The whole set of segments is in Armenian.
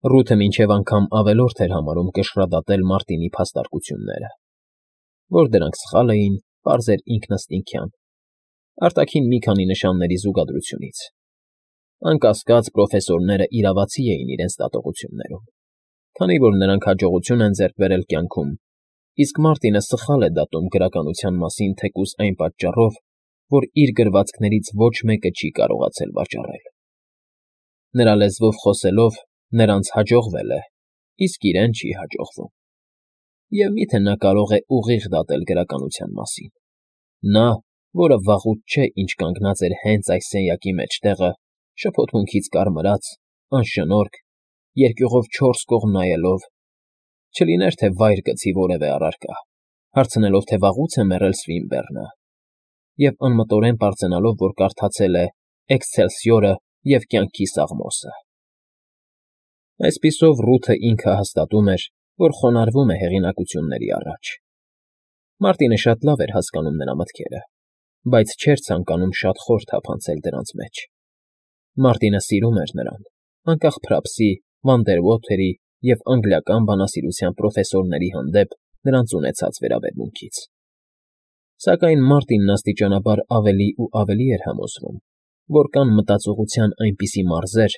Ռութը մինչև անգամ ավելորդ էր համարում կշռադատել Մարտինի փաստարկությունները, որ դրանք սխալ էին, պարզ էր ինքնըստինքյան, արտաքին մի քանի նշանների զուգադրությունից։ Անկասկած պրոֆեսորները իրավացի էին իրենց դատողություններում, քանի որ նրանք հաջողություն են ձեռք բերել կյանքում, իսկ Մարտինը սխալ է դատում գրականության մասին թեկուզ այն պատճառով, որ իր գրվածքներից ոչ մեկը չի կարողացել վաճառել։ Նրա լեզվով խոսելով նրանց հաջողվել է, իսկ իրեն չի հաջողվում։ Եվ միթե նա կարող է ուղիղ դատել գրականության մասին։ Նա, որը վաղուց չէ ինչ կանգնած էր հենց այս սենյակի մեջտեղը, շփոթմունքից կարմրած, անշնորհք, երկյուղով չորս կողմ նայելով, չլիներ թե վայր գցի որևէ առարկա, հարցնելով, թե վաղուց է մեռել Սվինբեռնը, և անմտորեն պարծենալով, որ կարդացել է «Էքսցելսիորը» և «Կյանքի սաղմոսը»։ Այսպիսով Ռութը ինքը հաստատում էր, որ խոնարհվում է հեղինակությունների առաջ։ Մարտինը շատ լավ էր հասկանում նրա մտքերը, բայց չէր ցանկանում շատ խոր թափանցել դրանց մեջ։ Մարտինը սիրում էր նրան, անկախ Փրապսի, Վանդերվոթերի և անգլիական բանասիրության պրոֆեսորների հանդեպ նրանց ունեցած վերաբերմունքից։ Սակայն Մարտինն աստիճանաբար ավելի ու ավելի էր համոզվում, որ կան մտածողության այնպիսի մարզեր,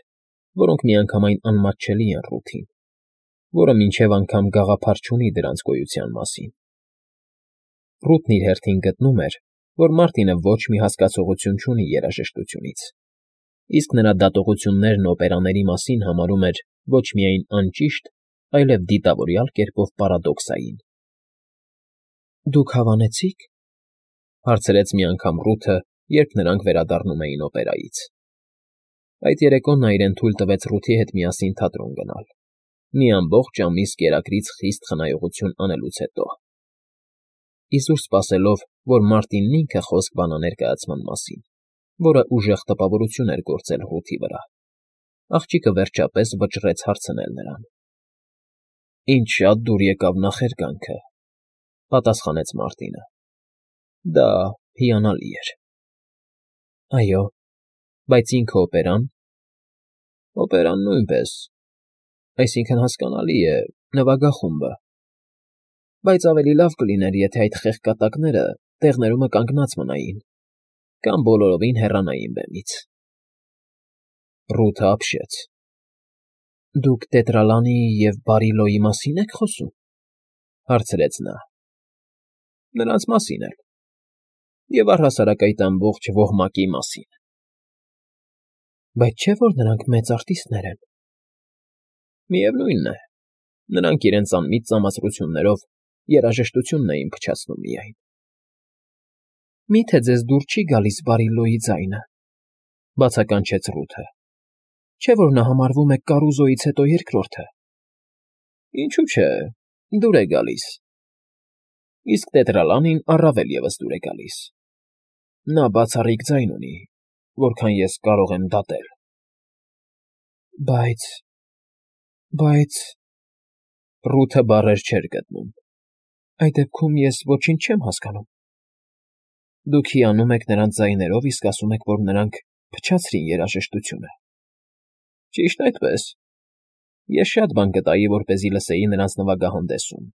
որոնք միանգամայն անմատչելի են Ռութին, որը մինչև անգամ գաղափար չունի դրանց գոյության մասին։ Ռութն իր հերթին գտնում էր, որ Մարտինը ոչ մի հասկացողություն չունի երաժշտությունից, իսկ նրա դատողություններն օպերաների մասին համարում էր ոչ միայն անճիշտ, այլև դիտավորյալ կերպով պարադոքսային։ «Դուք հավանեցի՞ք,֊ հարցրեց մի անգամ Ռութը, երբ նրանք վերադառնում էին օպերայից։ Այդ երեկո նա իրեն թույլ տվեց Ռութի հետ միասին թատրոն գնալ, մի ամբողջ ամիս կերակրից խիստ խնայողություն անելուց հետո, իզուր սպասելով, որ Մարտինն ինքը խոսք բանա ներկայացման մասին, որը ուժեղ տպավորություն էր գործել Ռութի վրա։ Աղջիկը վերջապես վճռեց հարցնել նրան։ «Ինձ շատ դուր եկավ նախերգանքը,֊ պատասխանեց Մարտինը։ Դա հիանալի էր»։ «Այո, բայց ինքը օպերան…» «Օպերան նույնպես, այսինքն՝ հասկանալի է, նվագախումբը, բայց ավելի լավ կլիներ, եթե այդ խեղկատակները տեղներումը կանգնած մնային կամ բոլորովին հեռանային բեմից»։ Ռութը ապշեց։ «Դուք Տետրալանիի և Բարիլոյի մասի՞ն եք խոսում,֊ հարցրեց նա։ «Նրանց մասին էլ, և առհասարակ այդ ամբողջ ոհմակի մասին»։ «Բայց չէ՞ որ նրանք մեծ արտիստներ են»։ «Միևնույն է, նրանք իրենց անմիտ ծամացրություններով երաժշտությունն էին փչացնում միայն»։ «Մի՞թե ձեզ դուր չի գալիս Բարիլոյի ձայնը,֊ բացականչեց Ռութը,֊ չէ՞ որ նա համարվում է Կարուզոյից հետո երկրորդը»։ «Ինչու՞ չէ, դուր է գալիս, իսկ Տետրալանին առավել ևս դուր է գալիս։ Նա բացառիկ ձայն ունի, որքան ես կարող եմ դատել»։ «Բայց,֊ Ռութը բառեր չէր գտնում,֊ այդ դեպքում ես ոչինչ չեմ հասկանում։ Դուք հիանում եք նրանց ձայներով, իսկ ասում եք, որ նրանք փչացրին երաժշտությունը»։ «Ճիշտ այդպես։ Ես շատ բան կտայի, որպեսզի լսեի նրանց նվագահանդեսում,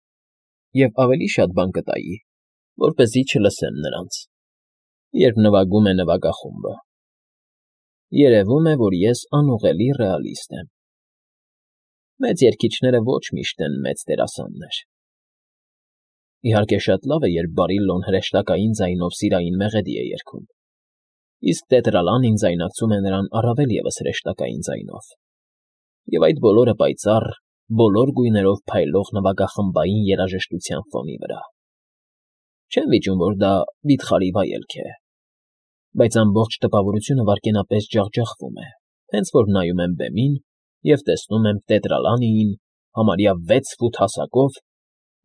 և ավելի շատ բան կտայի, որպեսզի չլսեմ նրանց, երբ նվագում է նվագախումբը։ Երևում է, որ ես անուղղելի ռեալիստ եմ։ Մեծ երգիչները ոչ միշտ են մեծ դերասաններ։ Իհարկե, շատ լավ է, երբ Բարիլլոն հրեշտակային ձայնով սիրային մեղեդի է երգում, իսկ Տետրալանին ձայնարկում է նրան առավել ևս հրեշտակային ձայնով, և այդ բոլորը պայծառ, բոլոր գույներով փայլող նվագախմբային երաժշտության ֆոնի վրա։ Չեմ վիճում, որ դա վիթխարի վայելք է, բայց ամբողջ տպավորությունը վայրկենապես ջախջախվում է, հենց որ նայում եմ բեմին և տեսնում եմ Տետրալանիին համարյա 6 ֆուտ հասակով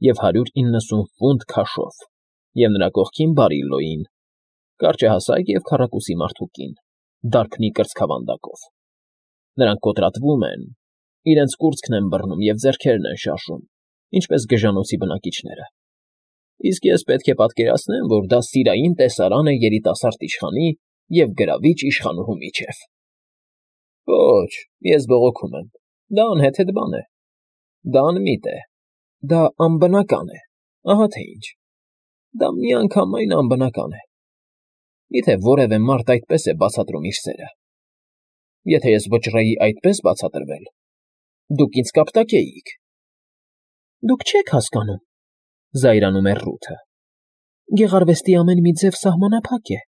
և 190 ֆունտ քաշով, և նրա կողքին Բարիլլոյին, կարճահասակ և քառակուսի մարդու կին, դարբնի կրծքավանդակով։ Նրանք կոտրատվում են, իրենց կուրծքն են բռնում և ձեռքերն են շարժում, ինչպես գժանոցի բնակիչները։ Իսկ ես պետք է պատկերացնեմ, որ դա սիրային տեսարան է երիտասարդ իշխանի և գրավիչ իշխանուհու միջև։ Ոչ, ես բողոքում եմ։ Դա անհեթեթ բան է, դա անմիտ է, դա անբնական է, ահա թե ինչ, դա միանգամայն անբնական է։ Միթե որևէ մարդ այդպես է բացատրում իր սերը։ Եթե ես վճռեի այդպես բացատրվել, դուք ինձ կապտակեիք։ Դուք չեք հասկանում, զայրանում էր Ռութը։ Գեղարվեստի ամեն մի ձև սահմանափակ է։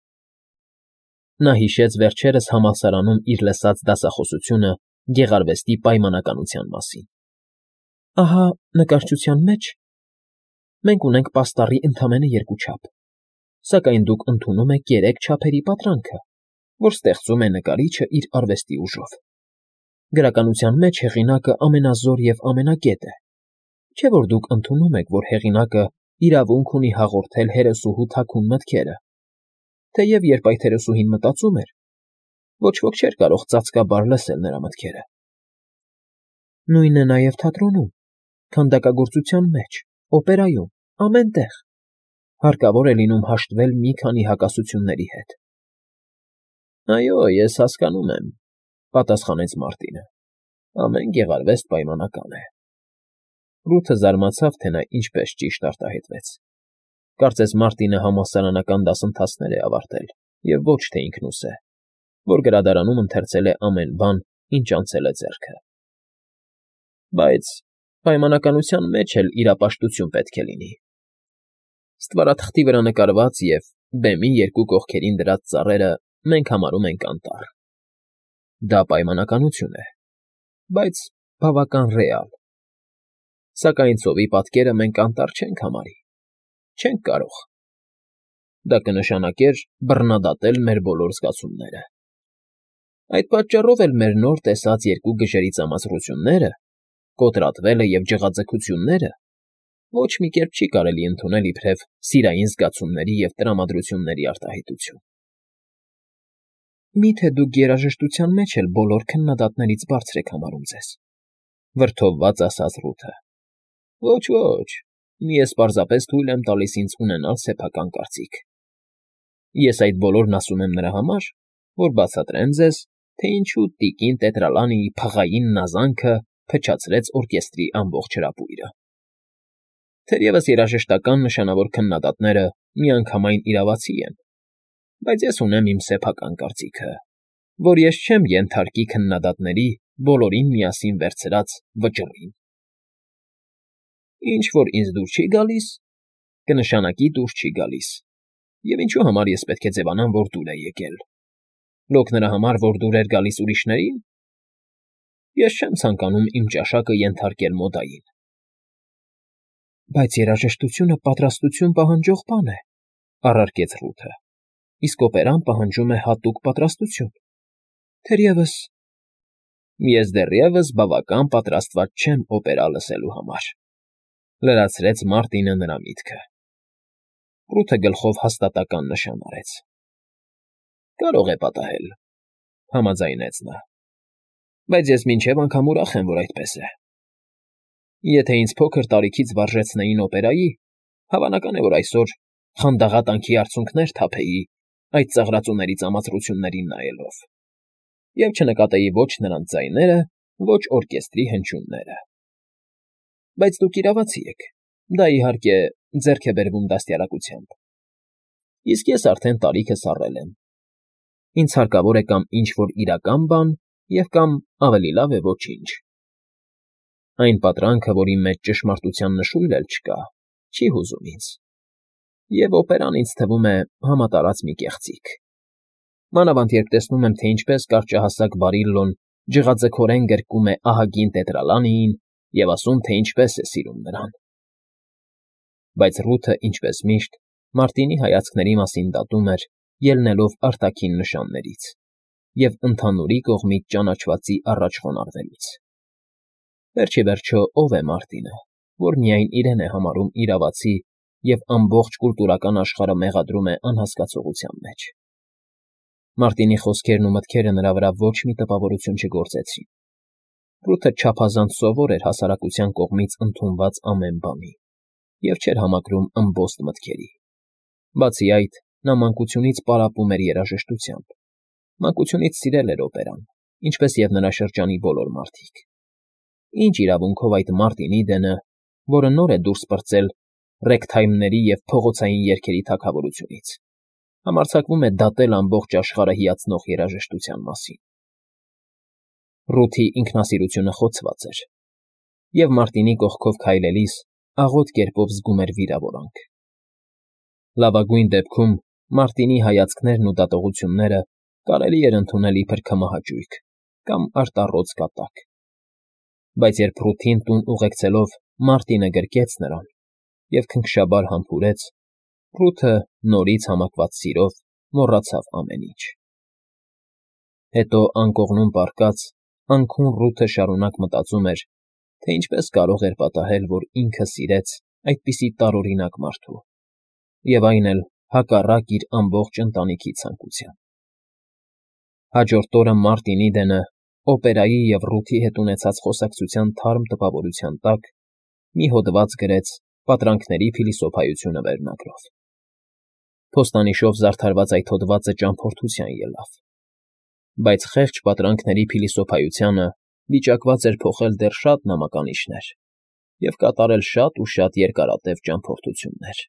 Նա հիշեց վերջերս համալսարանում իր լսած դասախոսությունը գեղարվեստի պայմանականության մասին։ Ահա նկարչության մեջ մենք ունենք պաստառի ընդամենը երկու չափ, սակայն դուք ընդունում եք երեք չափերի պատրանքը, որ ստեղծում է նկարիչը իր արվեստի ուժով։ Գրականության մեջ հեղինակը ամենազոր և ամենագետ է, չէ՞ որ դուք ընդունում եք, որ հեղինակը իրավունք ունի հաղորդել հերոսուհու թաքուն մտքերը, թեև երբ այդ հերոսուհին մտածում էր, ոչ ոք չէր կարող ծածկաբար լսել նրա մտքերը։ Նույնն է նաև թատրոնում, քանդակագործության մեջ, օպերայում, ամեն տեղ։ Հարկավոր է լինում հաշտվել մի քանի հակասությունների հետ։ Այո, ես հասկանում եմ, պատասխանեց Մարտինը։ Ամեն գեղարվեստ պայմանական է։ Ռութը զարմացավ, թե նա ինչպես ճիշտ արտահայտվեց։ Կարծես Մարտինը համալսարանական դասընթացներ է ավարտել, և ոչ թե ինքնուսե, որ գրադարանում ընթերցել է ամեն բան, ինչ անցել է ձեռքը։ Բայց պայմանականության մեջ էլ իրապաշտություն պետք է լինի։ Ստվարաթղթի վրա նկարված և բեմի երկու կողքերին դրած ծառերը մենք համարում ենք անտառ։ Դա պայմանականություն է, բայց բավական ռեալ։ Սակայն ծովի պատկերը մենք անտառ չենք համարի, չենք կարող։ Դա կնշանակեր բռնադատել մեր բոլոր զգացումները։ Այդ պատճառով էլ մեր նոր տեսած երկու գժերի ծամացրությունները, կոտրատվելը և ջղաձգությունները ոչ մի կերպ չի կարելի ընդունել իբրև սիրային զգացումների և տրամադրությունների արտահայտություն։ Մի՞թե դուք երաժշտության մեջ էլ բոլոր քննադատներից բարձր եք համարում ձեզ,֊ վրդովված ասաց Ռութը։ Ոչ, մի ես պարզապես թույլ եմ տալիս ինձ ունենալ սեփական կարծիք։ Ես այդ բոլորն ասում եմ նրա համար, որ բացատրեմ ձեզ, թե ինչու տիկին Տետրալանիի փղային նազանքը փչացրեց օրկեստրի ամբողջ հրապույրը։ Թերևս երաժշտական նշանավոր քննադատները միանգամայն իրավացի են, բայց ես ունեմ իմ սեփական կարծիքը, որ ես չեմ ենթարկի քննադատների բոլորին միասին վերցրած վճռին։ Ինչ որ ինձ դուր չի գալիս, կնշանակի դուր չի գալիս, և ինչու համար ես պետք է ձևանամ, որ դուր է եկել։ Լոկ նրա համար, որ դուր էր գալիս ուրիշներին։ Ես չեմ ցանկանում իմ ճաշակը ենթարկել մոդային։ Բայց երաժշտությունը պատրաստություն պահանջող բան է, առարկեց Ռութը, իսկ օպերան պահանջում է հատուկ պատրաստություն։ Թերևս… Ես դեռևս բավական պատրաստված չեմ օպերա լսելու համար,֊ լրացրեց Մարտինը նրա միտքը։ Ռութը գլխով հաստատական նշան արեց։ Կարող է պատահել,֊ համաձայնեց նա, բայց ես մինչև անգամ ուրախ եմ, որ այդպես է։ Եթե ինձ փոքր տարիքից վարժեցնեին օպերայի, հավանական է, որ այսօր խանդաղատանքի արցունքներ թափեի այդ ծաղրածուների ծամացրություններին նայելով, և չնկատեի ոչ նրանց ձայները, ոչ օրկեստրի հնչյունները։ Բայց դուք իրավացի եք, դա, իհարկե, ձեռք է բերվում դաստիարակությամբ։ Իսկ ես արդեն տարիքս առել եմ։ Ինձ հարկավոր է կամ ինչ֊որ իրական բան և կամ ավելի լավ է ոչինչ։ Այն պատրանքը, որի մեջ ճշմարտության նշույլ էլ չկա, չի հուզում ինձ, և օպերան ինձ թվում է համատարած մի կեղծիք։ Մանավանդ երբ տեսնում եմ, թե ինչպես կարճահասակ Բարիլլոն ջղաձգորեն գրկում է ահագին Տետրալանիին և ասում, թե ինչպես է սիրում նրան։ Բայց Ռութը, ինչպես միշտ, Մարտինի հայացքների մասին դատում էր, ելնելով արտաքին նշաններից և ընդհանուրի կողմից ճանաչվածի առաջ խոնարհվելուց։ Վերջիվերջո ով է Մարտինը, որ միայն իրեն է համարում իրավացի և ամբողջ կուլտուրական աշխարհը մեղադրում է անհասկացողության մեջ։ Մարտինի խոսքերն ու մտքերը նրա վրա ոչ մի տպավորություն չգործեցին։ Ռութը չափազանց սովոր էր հասարակության կողմից ընդունված ամեն բանի և չէր համակրում ըմբոստ մտքերի։ Բացի այդ, նա մանկությունից պարապում էր երաժշտությամբ, մանկությունից սիրել էր օպերան, ինչպես և նրա շրջանի բոլոր մարդիկ։ Ինչ իրավունքով այդ Մարտին Իդենը, որը նոր է դուրս պրծել ռեգթայմների և փողոցային երգերի թագավորությունից, համարձակվում է դատել ամբողջ աշխարհը հիացնող երաժշտության մասին։ Ռութի ինքնասիրությունը խոցված էր, և Մարտինի կողքով քայլելիս աղոտ կերպով զգում էր վիրավորանք։ Լավագույն դեպքում Մարտինի հայացքներն ու դատողությունները կարելի էր ընդունել իբր քմահաճույք կամ արտառոց կատակ, բայց երբ Ռութին տուն ուղեկցելով Մարտինը գրկեց նրան և քնքշաբար համբուրեց, Ռութը նորից համակված սիրով մոռացավ ամեն ինչ։ Հետո անկողնում պառկած անքուն Ռութը շարունակ մտածում էր, թե ինչպես կարող էր պատահել, որ ինքը սիրեց այդպիսի տարօրինակ մարդու, և այն էլ հակառակ իր ամբողջ ընտանիքի ցանկության։ Հաջորդ օրը Մարտին Իդենը օպերայի և Ռութի հետ ունեցած խոսակցության թարմ տպավորության տակ մի հոդված գրեց Պատրանքների փիլիսոփայությունը վերնագրով։ Փոստանիշով զարդարված այդ հոդվածը ճամփորդության ելավ, բայց խեղճ պատրանքների փիլիսոփայությանը վիճակված էր փոխել դեռ շատ նամականիշներ և կատարել շատ ու շատ երկարատև ճամփորդություններ։